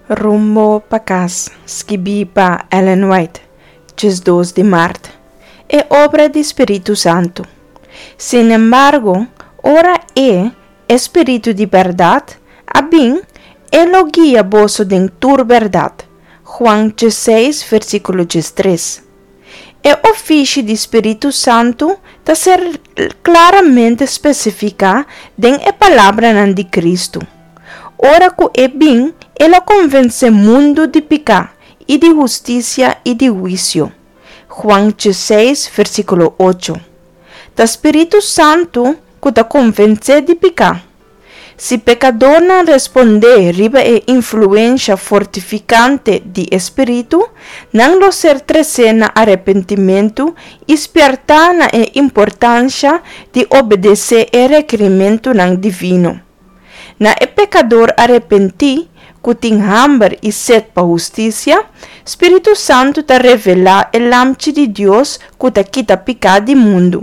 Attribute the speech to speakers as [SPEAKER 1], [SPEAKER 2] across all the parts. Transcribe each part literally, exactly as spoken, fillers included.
[SPEAKER 1] Rumbo pa Kas, skibí pa Ellen White, diesdos di mart. E obra di Spiritu Santu. Sin embargo, ora E, e Spiritu di bèrdat, a bin, E lo guia boso den tur bèrdat. Juan diesseis, versíkulo diestres. E ofishi di Spiritu Santu ta ser klaramente spesifiká den e palabranan di Kristu. Ora ku E bin, E lo konvensé mundu di piká, i di hustisia i di huisio. Juan diesseis, versíkulo ocho. Ta Spiritu Santu ku ta konvensé di piká. Si pekadornan respondé riba e influensha fortifikante di e Spiritu, nan lo ser tresé na arepentimentu i spièrtá na e importansha di obedesé e rekerimentunan divino. Na e pekador arepentí ku tin hamber i set pa hustisia, Spiritu Santu ta revelá e Lamchi di Dios ku ta kita piká di mundu.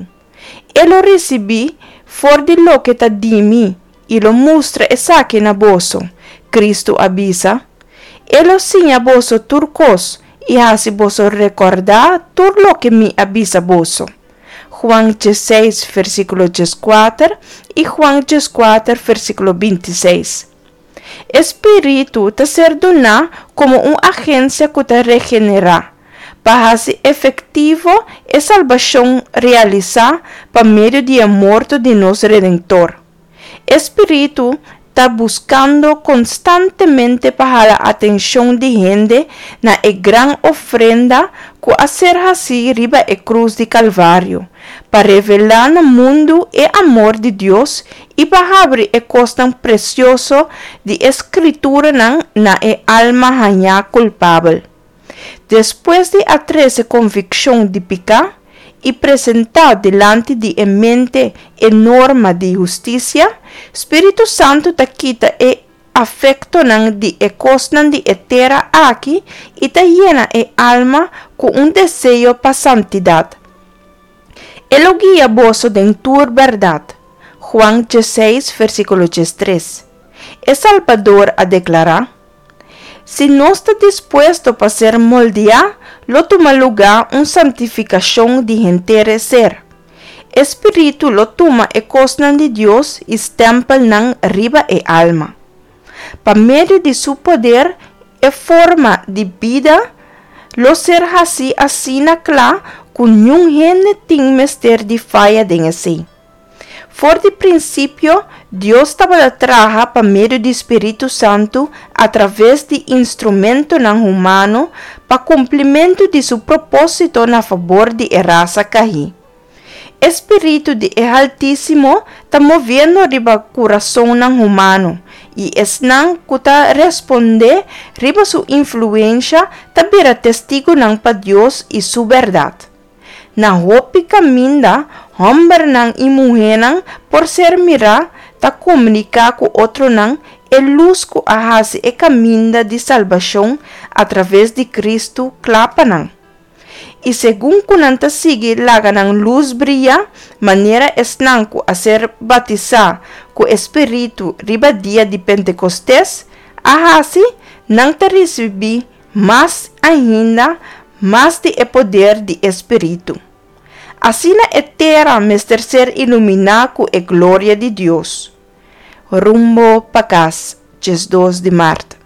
[SPEAKER 1] E lo risibí for di loke ta di mi i lo mustra esaki na boso, Kristu a bisa. E lo siña boso tur kos i hasi boso rekordá tur loke mi a bisa boso. Juan diesseis, versíkulo dieskuater i Juan dieskuater, versíkulo bintiseis. E Spiritu ta ser duná komo un agensia ku ta regenerá, pa hasi efektivo e salbashon realisá pa medio di e morto di nos Redentor. E Spiritu ta buskando konstantemente pa hala atenshon di hende na e gran ofrenda ku a ser hasí riba e krus di Kalvario, pa revelá na mundu e amor di Dios i pa habri e kosnan presioso di e Skrituranan na e alma hañá kulpabel. Despues di a trese konvikshon di piká i presentá dilanti di e mente e norma di hustisia, Spiritu Santu ta kita e afektonan di e kosnan di e tera aki i ta yena e alma ku un deseo pa santidat. E lo guia boso den tur bèrdat. Juan diesseis, versíkulo diestres. E Salbador a deklará, Si nos ta dispuesto pa ser moldeá, lo tuma lugá un santifikashon di henter e ser. E Spiritu lo tuma e kosnan di Dios i stèmpel nan riba e alma. Pa medio di Su poder, e forma di bida lo ser hasí asina kla ku niun hende tin mester di faya den esei. For di prinsipio, Dios tabata traha pa medio di Spiritu Santu atraves di instrumentonan humano pa kumplimentu di Su propósito na fabor di e rasa kaí. E Spiritu di e Haltísimo ta moviendo riba kurasonnan humano, i esnan ku ta respondé riba Su influensha ta bira testigunan pa Dios i Su bèrdat. Na hopi kaminda, hòmbernan i muhénan por ser mirá ta komuniká ku otronan e lus ku a hasi e kaminda di salbashon atraves di Kristu kla pa nan. I segun ku nan ta sigui laga nan lus bria, manera esnan ku a ser batisá ku e spiritu riba dia di Pentekostes a hasi, nan ta risibí mas ainda mas di e poder di e spiritu. Asina e tera mester ser iluminá ku e gloria di Dios. Rumbo pa Kas, diesdos di mart.